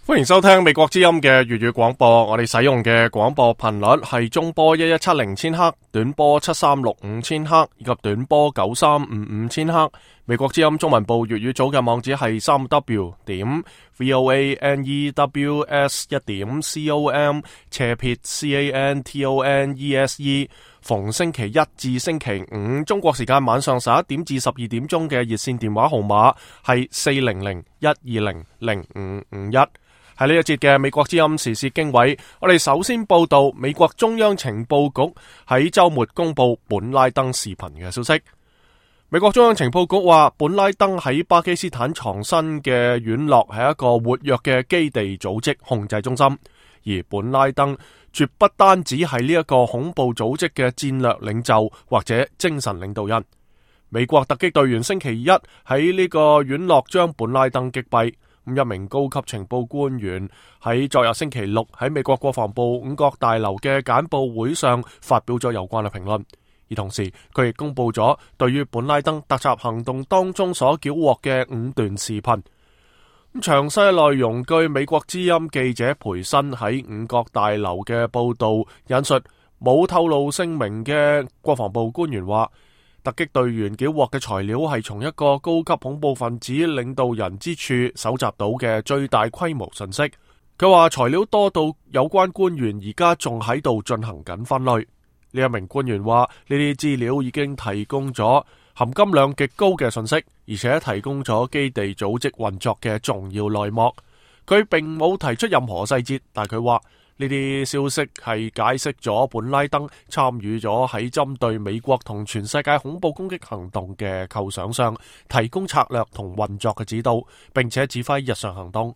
歡迎收聽美國之音嘅粵語廣播，我哋使用嘅廣播頻率係中波1170千赫、短波7365千赫以及短波9355千赫。美國之音中文部粵語組嘅網址係3w.voanews.com/cantonese。逢星期一至星期五中國時間晚上11點至12點鐘嘅熱線電話號碼係400-120-0551。喺呢一節嘅美國之音時事經緯，我哋首先報道美國中央情報局喺周末公布本拉登視頻嘅消息。美國中央情報局話，本拉登喺巴基斯坦藏身嘅院落係一個活躍嘅基地組織控制中心，而本拉登絕不單止係呢一個恐怖組織嘅戰略領袖或者精神領導人。美國突擊隊員星期一喺呢個院落將本拉登擊斃。一名高級情報官員喺昨日星期六喺美國國防部五角大樓嘅簡報會上發表咗有關嘅評論，而同時佢亦公布咗對於本拉登突襲行動當中所繳獲嘅5段視頻。詳細內容據美國之音記者培新喺五角大樓嘅報道引述，冇透露姓名嘅國防部官員話，突擊隊員繳獲嘅材料係從一個高級恐怖分子領導人之處搜集到嘅最大規模信息。佢話材料多到有關官員而家仲喺度進行緊分類。呢一名官員話，呢啲資料已經提供咗含金量極高嘅信息，而且提供咗基地組織運作嘅重要內幕。佢並冇提出任何細節，但佢話呢啲消息係解釋咗本拉登參與咗喺針對美國同全世界恐怖攻擊行動嘅構想上，提供策略同運作嘅指導，並且指揮日常行動。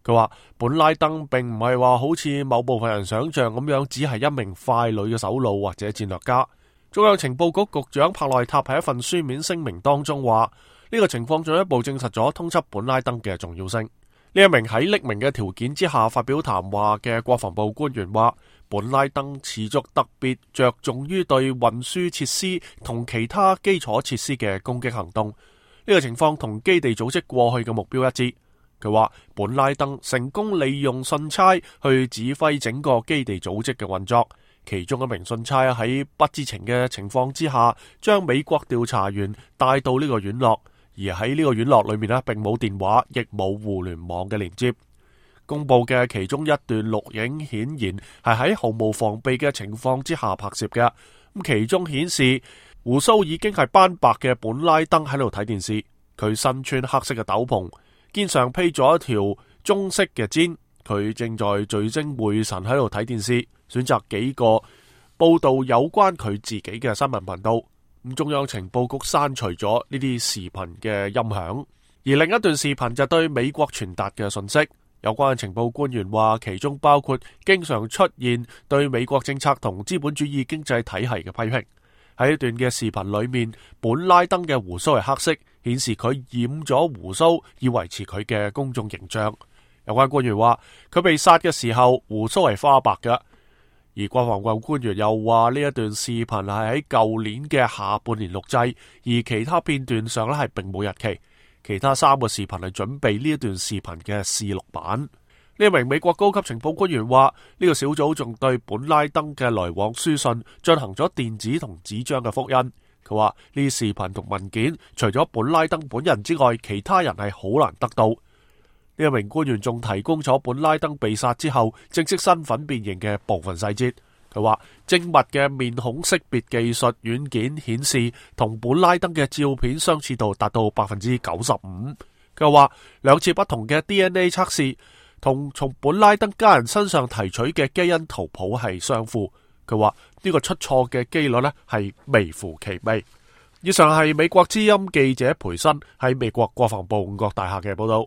佢話本拉登並唔係話好似某部分人想象咁樣，只係一名傀儡嘅首腦或者戰略家。中央情報局局長帕內塔喺一份書面聲明當中話，呢個情況進一步證實咗通緝本拉登嘅重要性。呢一名喺匿名嘅條件之下發表談話嘅國防部官員話，本拉登持續特別着重於對運輸設施同其他基礎設施嘅攻擊行動。呢個情況同基地組織過去嘅目標一致。佢話本拉登成功利用信差去指揮整個基地組織嘅運作，其中一名信差喺不知情嘅情況之下，將美國調查員帶到呢個院落。而喺呢個院落裏面並冇電話，亦冇互聯網嘅連接。公布嘅其中一段錄影顯然係喺毫無防備嘅情況之下拍攝嘅。其中顯示鬍鬚已經係斑白嘅本拉登喺度睇電視，佢身穿黑色嘅斗篷，肩上披咗一條棕色嘅氈，佢正在聚精會神喺度睇電視，選擇幾個報道有關佢自己嘅新聞頻道。中央情報局刪除咗呢啲視頻嘅音響，而另一段視頻就對美國傳達嘅信息。有關情報官員話，其中包括經常出現對美國政策同資本主義經濟體系嘅批評。喺一段嘅視頻裏面，本拉登嘅鬍鬚係黑色，顯示佢染咗鬍鬚以維持佢嘅公眾形象。有關官員話，佢被殺嘅時候鬍鬚係花白嘅。而國防部官員又話，呢一段視頻係喺舊年嘅下半年錄製，而其他片段上係並冇日期。其他3個視頻係準備呢一段視頻嘅試錄版。呢一名美國高級情報官員話，呢個小組仲對本拉登嘅來往書信進行咗電子同紙張嘅複印。佢話呢啲視頻同文件除咗本拉登本人之外，其他人係好難得到。呢一名官員仲提供咗本拉登被殺之後正式身份辨認嘅部分細節。佢話精密嘅面孔識別技術軟件顯示，同本拉登嘅照片相似度達到 95%。佢話2次不同嘅 DNA 測試同從本拉登家人身上提取嘅基因圖譜係相符。佢話呢個出錯嘅機率係微乎其微。以上係美國之音記者培新喺美國國防部五角大廈嘅報道。